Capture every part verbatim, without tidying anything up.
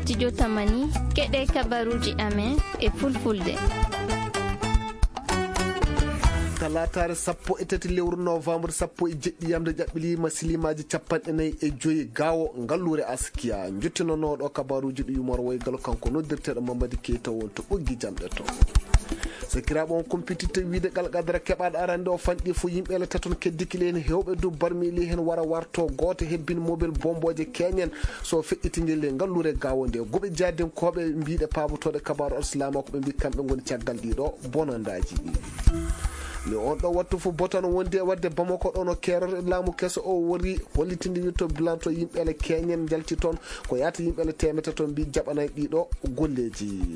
Studio Tamani, keɗe kabaruji amen e fulfulde. Talaataare sappo e tati lewru novembre, sappo e jeɗɗi yamde ƴaɓɓili masilimaaji capanɗe nayi e joyi gawo ngalluure Askiya. Njottinanooɗo kabaruji ɗi yumor woygal kanko noddirteeɗo Mamadi Keita won to ɓoggi jamɗe to. Sakiraaɓe on kumpititta wiide Alkadara keɓaaɗo arande o fanɗi fo yimɓe ele taton keddikile en hewɓe du barmili hen wara warto gooto hebbini mobile bomboje keñen so feƴƴitingel e ngalluure gawo nde. Goɓe jaadinkooɓe mbiɗe paabotooɗe kabaaru alsilaama ko ɓe mbi kamɓe ngoni caggal ɗiɗo bonandaaji ɗi. Ni on ɗo wattu fof botan wondi e wadde Bamako ɗo no keerore laamu keso o wori hollitinde wirto bilan to yimɓe ele keñen njalti toon ko yaata yimɓe ele temete toon mbi jaɓanay ɗiɗo golleeji.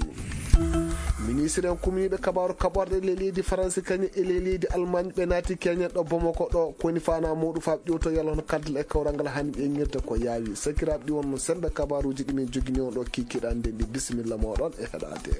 Ministre en kumniiɓe kabaaru kaɓorɗe le leydi Faransi kañum e le leydi Almaañ ɓe naati keñen ɗo Bamako ɗo koni fana muɗum faaɓ ƴewto yalla hono kaldal e kawral ngal hani ɓe ŋirde ko yaawi sakiraaɓe ɗi wonno sembe kabaruuji ɗi min jogini on ɗo kikiɗan nden ɗi bisimilla moɗon e heɗade.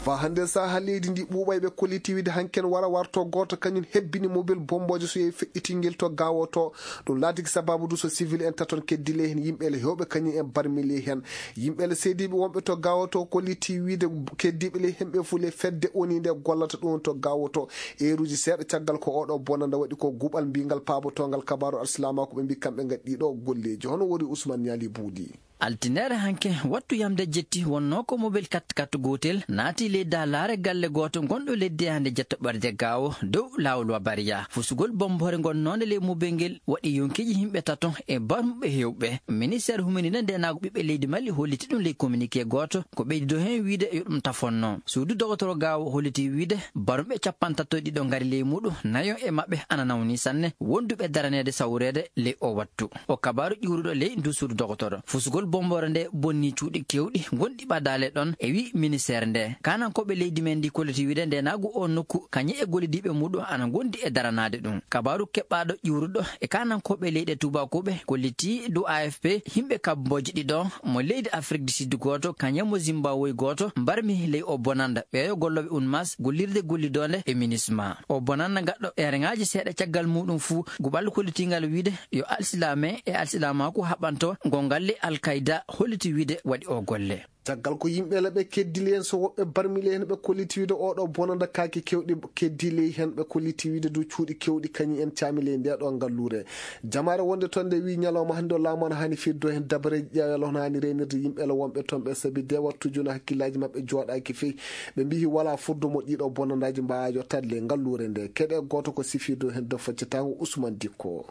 Fa hannde saha leydi ndi ɓuuɓay ɓe kolliti wiide hanken wara warto gooto kañum hebbini mobile bomboje so yehi feƴƴitingel to gawo to ɗum laatiki sababu du so civil en taton keddile hen yimɓe ele hewɓe kañum en barmili hen yimɓe ele seediiɓe wonɓe to gawo to kolliti wiide keddiiɓe le hemɓe fuu le fedde oni nde gollata ɗum to gawo to eeruji seeɗa caggal ko oɗo bonanda waɗi ko guɓal mbingal paabotongal kabaru alsilamako ɓe mbi kamɓe ngaddi ɗo golleji hono wori Ousmane Niali Buudi. Altinere hanke wattu yamde jetti wonno ko mobil kat kat gotel naati ley dalaare galle gooto gonɗo ley deyande jettoɓerde gawo dow lawol wa bariya fusugol bombore gonnonde ley mobil ngel waɗi yonkeji yimɓe tato e barmuɓe hewɓe. Ministère humininde ndenago ɓiɓɓe leydi mali holliti ɗum ley communiqué gooto ko ɓeydido hen wiide yo ɗum tafonno suudu dogotoro gawo holliti wiide barmuɓe capantatto ɗiɗo ngari ley muɗum nayo e maɓɓe ana nawni sanne wonduɓe daraneede sawreede ley o wattu. O kabaru ƴuuruɗo ley ndu suudu dogotoro fusugol bombore nde bonni cuuɗi kewɗi gonɗi ɓadaale ɗon e wi ministère nde kanankoɓe leydi men ndi kolliti wiide ndenagu o nokku kañe e gollidiɓe muɗum ana gondi e daranaade ɗum. Kabaru keɓɓaɗo ƴuuruɗo e kanankoɓe leyɗe tubakoɓe kolliti du afp himɓe kabboji ɗiɗo mo leydi afrique du sud gooto kañe mo zimbabwe gooto mbarmi ley o bonanda ɓeyo golloɓe unmas gollirde gollidonde e minisma o bonanda gaɗɗo ereŋaji seeɗa caggal muɗum fuu guɓal kollitingal wiide yo alsilame e alsilamaku haɓanto gongalle alkayda holliti wiide waɗi o golle. Caggal ko yimɓe laɓe keddili en so woɓɓe barmili en ɓe kolliti wiide oɗo bonanda kaake kewɗi keddili hen ɓe kolliti wiide dow cuuɗi kewɗi kañi en caamili e ndeɗo ngallure. Jamaare wonde toon nde wi ñalawma hannde o laamu ana hani firdo heen dabareeji ƴeewel hono hani reenirde yimɓe ele wonɓe toon ɓe sabi de wattuji no hakkillaji maɓɓe jooɗaaki fey ɓe mbihi wala furdo mo ɗiɗo bonandaji mbaawa yottade le ngalluure nde keɗe gooto ko sifirdo heen do faccatango Ousmane Dikko.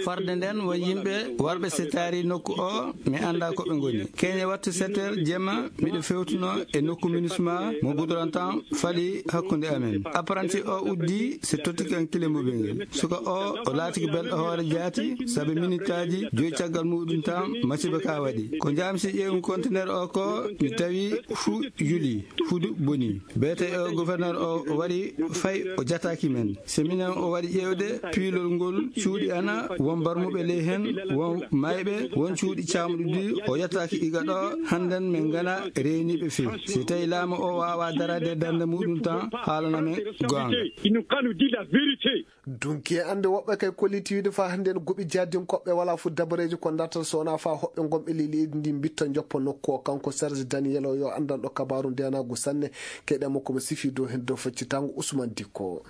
Farde nden won yimɓe warɓe setaari nokku o mi annda ko ɓe ngoni keñe wattu setter jemma miɗo fewtuno e nokku minisma mo gudorantan fali hakkunde amen apprenti o uddi se totti kan kile mobel ngel suka o o laatiki belɗo hoore jaati sabu minitaji joyi caggal muɗum tan masiba ka waɗi ko jamsi ƴeewmi contenaire o ko mi tawi fu yuli fudu boni bete o gouverneur o wari fay o jataki men se minen o wari ƴeewde piilol ngol cuuɗi ana won barmuɓe ley hen won mayɓe won cuuɗi camɗuɗi o yettaki iga ɗo hannden min ngana reyniɓe fii si tawi laamu o wawa darade darnde muɗum tan haalana men goonga. Dunki e annde woɓɓe kay kolliti wiide faa hannde en goɓi jaadinkoɓɓe wala fu dabareeji ko dartata so wona faa hoɓɓe gomɓe ley leydi ndi mbitta joppa nokku o kanko Serge Daniel o yo anndanɗo kabaaru ndenagu sanne keɗe makko mo sifi dow hen dow faccitango Ousmane Dikko.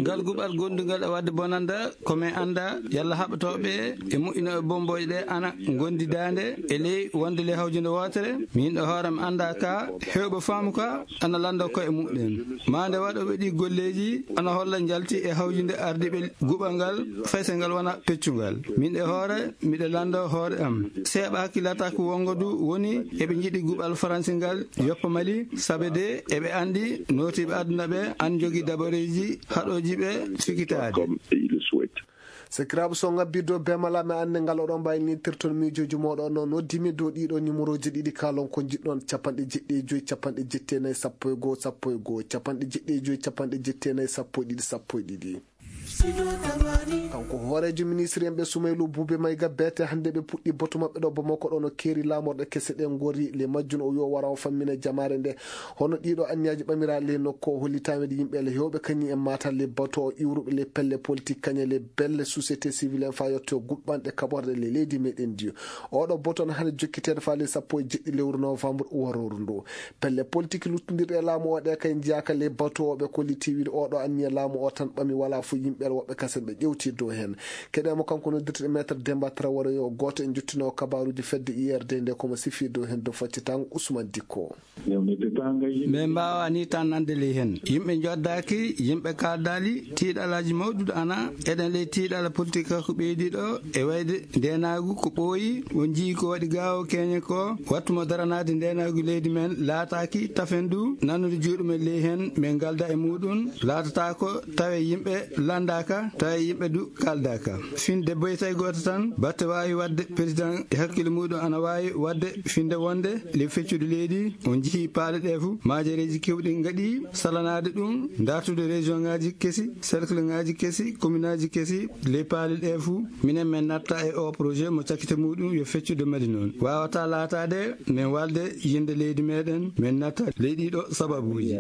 Ngal guɓal gondungal e wadde bonanda ko min annda yalla haɓɓotooɓe e moƴƴinooɓe bombooje ɗe ana ngondi daande e ley wonde ley hawjunde wootere min ɗo hoore mi annda ka heewɓe faamu ka ana lannda koye muɗɗen maa nde waɗooɓe ɗi golleeji ana holla njalti e hawjunde ardiiɓe guɓal ngal faysal ngal wona peccungal min e hoore miɗo lanndo hoore am seeɓa hakkillata ko wongo du woni eɓe njiɗi guɓal faransi ngal yoppa mali sabe de eɓe anndi nootiiɓe aduna ɓe an jogii dabareeji haɗooji ɓe sikitaade. Sakiraaɓe so ngabbirde o bemala mi annde ngal oɗon mbawi nittirton miijoji moɗon no noddimi dow ɗiɗo numéroji ɗiɗi kalon ko jiɗɗon capanɗe jeɗɗi e joyi capanɗe jetti e nayi sappo e goho sappo e goho capanɗe jeɗɗi e joyi capanɗe jetti e nayi sappo e ɗiɗi sappo e ɗiɗi. Kanko hooreejo ministre en ɓe Sumaylu Buube Mayga, beete hannde ɓe puɗɗi batu maɓɓe ɗo Bamako ɗo no keeri laamorɗe kese ɗe ngori. Le majjun o wiyo wara o fammina jamaare nde. Hono ɗiɗo anniyaaji ɓamira le nokko o holli taweede yimɓe le hewɓe kañum en mata le bato o iwruɓe le pelle politique kañe le belle société civile en fa yetto guɓɓanɗe kaɓorɗe le leydi meɗen ndi. Oɗo boto no hannde jokkiteede faale sappo e jeɗɗi lewru novembre waroru ndu. Pelle politique luttondirɗe e laamu o ɗe kay njiyaaka le bato o ɓe kolliti wiide oɗo anniya laamu o tan ɓami wala fo yimɓe woɓɓe kasen ɓe ƴewti dow heen. Keɗe mo kanko noddirte maître Demba Traoré yo gooto en jottino kabaruuji fedde I R D nde komo sifi dow heen dow faccitango Ousmane Dikko. Min mbaawa ni tan nande ley heen. Yimɓe njoddaaki, yimɓe kaaldaali, tiiɗalaaji mawɗuɗo ana, eɗen ley tiiɗala politique ko ɓeydi ɗo, e wayde ndeenaagu ko ɓooyi, on njii ko waɗi gaawo keeñe ko, wattu mo daranaade ndeenaagu leydi men laataaki tafendu, nannude juuɗe men ley heen, min ngalda e muuɗum, laatata ko tawe yimɓe landaaka, tawe yimɓe du kaaldaaka. Finde boytay gooto tan, batte waawi waɗde président e hakkille muuɗum ana waawi waɗde finde wonde le feccude leydi, on njii paale ɗe fof, maajereeji kewɗi ngaɗi salanaade ɗum, dartude région ngaji kesi, cercle ngaji kesi, commune aji kesi, le paale ɗe fof, minen min natta e o projet mo cakkite muuɗum yo feccude Mali noon. Waawata laataade min walde yinde leydi meɗen, min natta ley ɗiɗo sababuuji.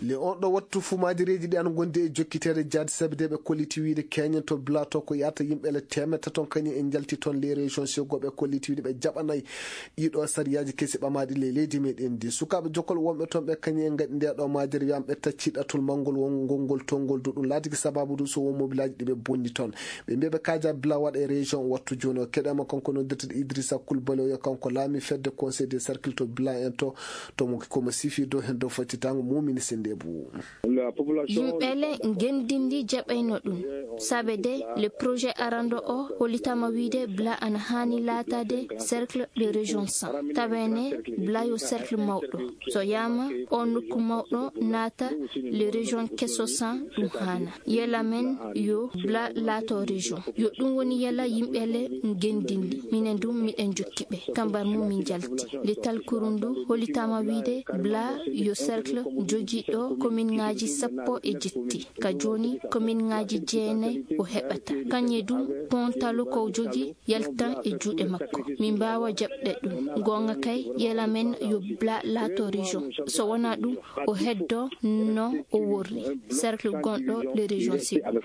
Le on ɗo wattu fuu maajereeji ɗi ana ngondi e jokkiteede jaadi sabideeɓe kolliti wiide keñen to Blato ko yahata yimɓe le teemedde ton kañum en njalti ton les régions segoɓe kolliti wiide ɓe jaɓanay ɗiɗo sariyaaji kesi ɓamaaɗi ley leydi meɗen ndi. Sukaaɓe jokkol wonɓe ton ɓe kañum en ngaɗi nde ɗo maajere wiyam ɓe tacci ɗatul manngol won ngol ngol tongol du ɗum laatiki sababu du so won mobilaaji ɗi ɓe bonni ton. Ɓe mbiya ɓe kaaja Bla waɗa e région wattu jooni o keɗama kanko noddirteɗo Idrissa Coulibaly o yo kanko laami fedde conseil des cercles to Bla en to. Tomo komo sifi dow heen dow fottitango mumini sennde bu. Yimɓe le ngenndindi jaɓayno ɗum. Sabe de le projet arando o hollitama wiide Bla ana haani laataade cercle de région cent. Taweene Bla yo cercle mawɗo. So yama o nokku mawɗo naata le région keso cent ɗum haana. Yela men yo Bla laato région. Yo ɗum woni yela yimɓe le ngenndindi. Minen du miɗen jokki ɓe. Kambar mum min jalti. Le talkuru ndu hollitama wiide Bla yo cercle jogiiɗo commune ngaji sappo e jetti. Ka jooni commune ngaji jeenay o heɓata. Kañe du pont talo ko jogi yaltan e juuɗe makko. Min mbaawa jaɓde ɗum. Goonga kay yela men yo Bla laato région. So wona ɗum o heddo no o worri. Cercle gonɗo le région Sékou.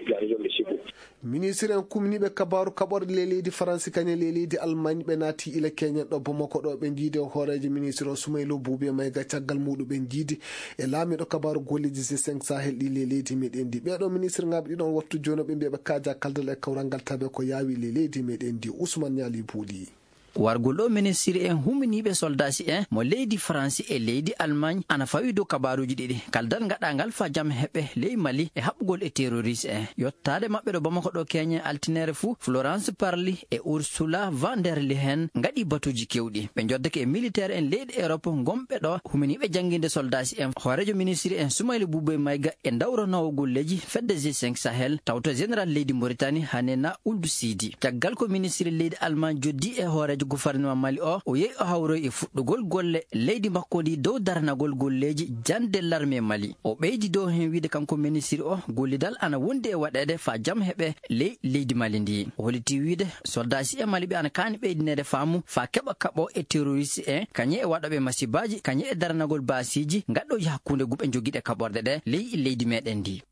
Ministre en kumniiɓe kabaaru kaɓorɗe ley leydi Faransi kañe ley leydi Almaañ ɓe naati ila keñen ɗo Bamako ɗo ɓe njiidi e hooreejo ministre o Sumaylo Buubi e Mayga caggal muuɗum ɓe njiidi e laamiiɗo kabaaru golleeji G cinq Sahel ɗi ley leydi meɗen ndi. Ɓeeɗo ministre ngaaɓe ɗiɗon wattu jooni ɓe mbiya ɓe kaaja kaldal e kawral ngal tabe ko yaawi ley leydi meɗen ndi. Ousmane Ñaali Buuli. Wargol ɗo ministre en huminiiɓe soldasi en mo leydi Faransi e leydi Almaañ ana fawi dow kabaaruuji ɗiɗi kaldal ngaɗangal fa jam heɓe ley Mali e haɓɓugol e terroriste en. Yottaade maɓɓe ɗo Bamako ɗo keñe altinere fuu Florence Parly e Ursula van der Leyen ngaɗi batuuji kewɗi. Ɓe njoddake e militaire en leyɗe Europe ngonɓe ɗo huminiiɓe jannginde soldasi en. Hooreejo ministre en Sumayli Buuboy Mayga e ndawranoowo golleeji fedde G cinq Sahel tawto général leydi Mauritanie Hanena Ould Sidi. Caggal ko ministre leydi Almaañ joddi e hooreejo gouvernement Mali o, o yehi o hawroyi e fuɗɗugol golle leydi makko ndi dow daranagol golleeji jannde l'armée Mali. O ɓeydi dow heen wiide kanko ministre o gollidal ana wondi e waɗeede faa jam heɓe ley leydi Mali ndi. O holliti wiide soldaaji e Mali ɓe ana kaani ɓeydineede faamu faa keɓa kaɓo e terroriste en, kañe e waɗooɓe masibaaji, kañe e daranagol baasiiji gaɗɗooji hakkunde guɓe jogiiɗe kaɓorɗe ɗe ley leydi meɗen ndi.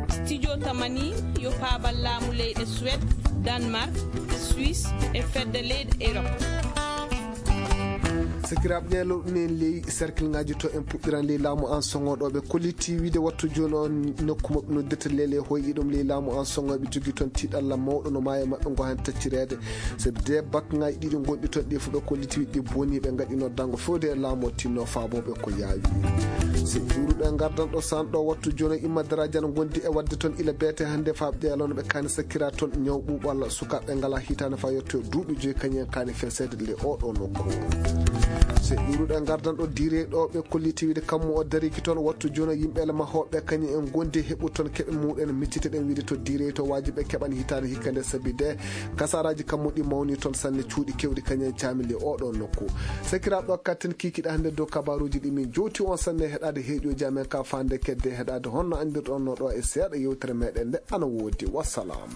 Studio Tamani yo paabal laamu leyɗe Suède, Danemark, Suisse e fedde leyɗe Europe. Sakiraaɓe, ɗe lowɗinen ley cercle ngaji to en puɗɗiran ley laamu an soŋo ɗo ɓe kolliti wiide wattu jooni on nokku maɓɓe noddirta lele hoyɗi ɗum ley laamu an soŋo ɓe jogi toon tiiɗalla mawɗo no maayo maɓɓe ngo han taccireede. Sabi de bakŋaaji ɗiɗi gonɗi toon ɗi fof ɓe kolliti ɗi boni ɓe ngaɗi noddango fewde e laamu o tinno faabooɓe ko yaawi. Si juuruɗo e ngardan ɗo san ɗo wattu jooni imma daraaji ana ngondi e waɗde toon ila beete hannde faaɓde yalano ɓe kaani sakkira toon ñaw ɓuuɓal sukaaɓe ngala hitaande faa yetto e duuɓi joyi kañum en kaani feseede le oɗo nokku. So ƴuuruɗo e ngardan ɗo diirey ɗo ɓe kolliti wiide kammu o dariki toon, wattu jono yimɓe ele mahooɓe kañum en gondi heɓu toon keɓe muɗen miccite ɗen wiide to diirey to waaji ɓe keɓan hitaande hikka nde sabi de kasaraji kammu ɗi mawni toon sanne cuuɗi kewɗi kañum en caamili oɗo nokku. Sakiraaɓe o katten kiikiɗe hannde dow kabaruuji ɗi min jowti on sanne heɗaade heeƴoji amen ka faande kedde heɗaade honno anndirɗon no ɗo e seeɗa yewtere meɗen nde ana woodi. Wassalam.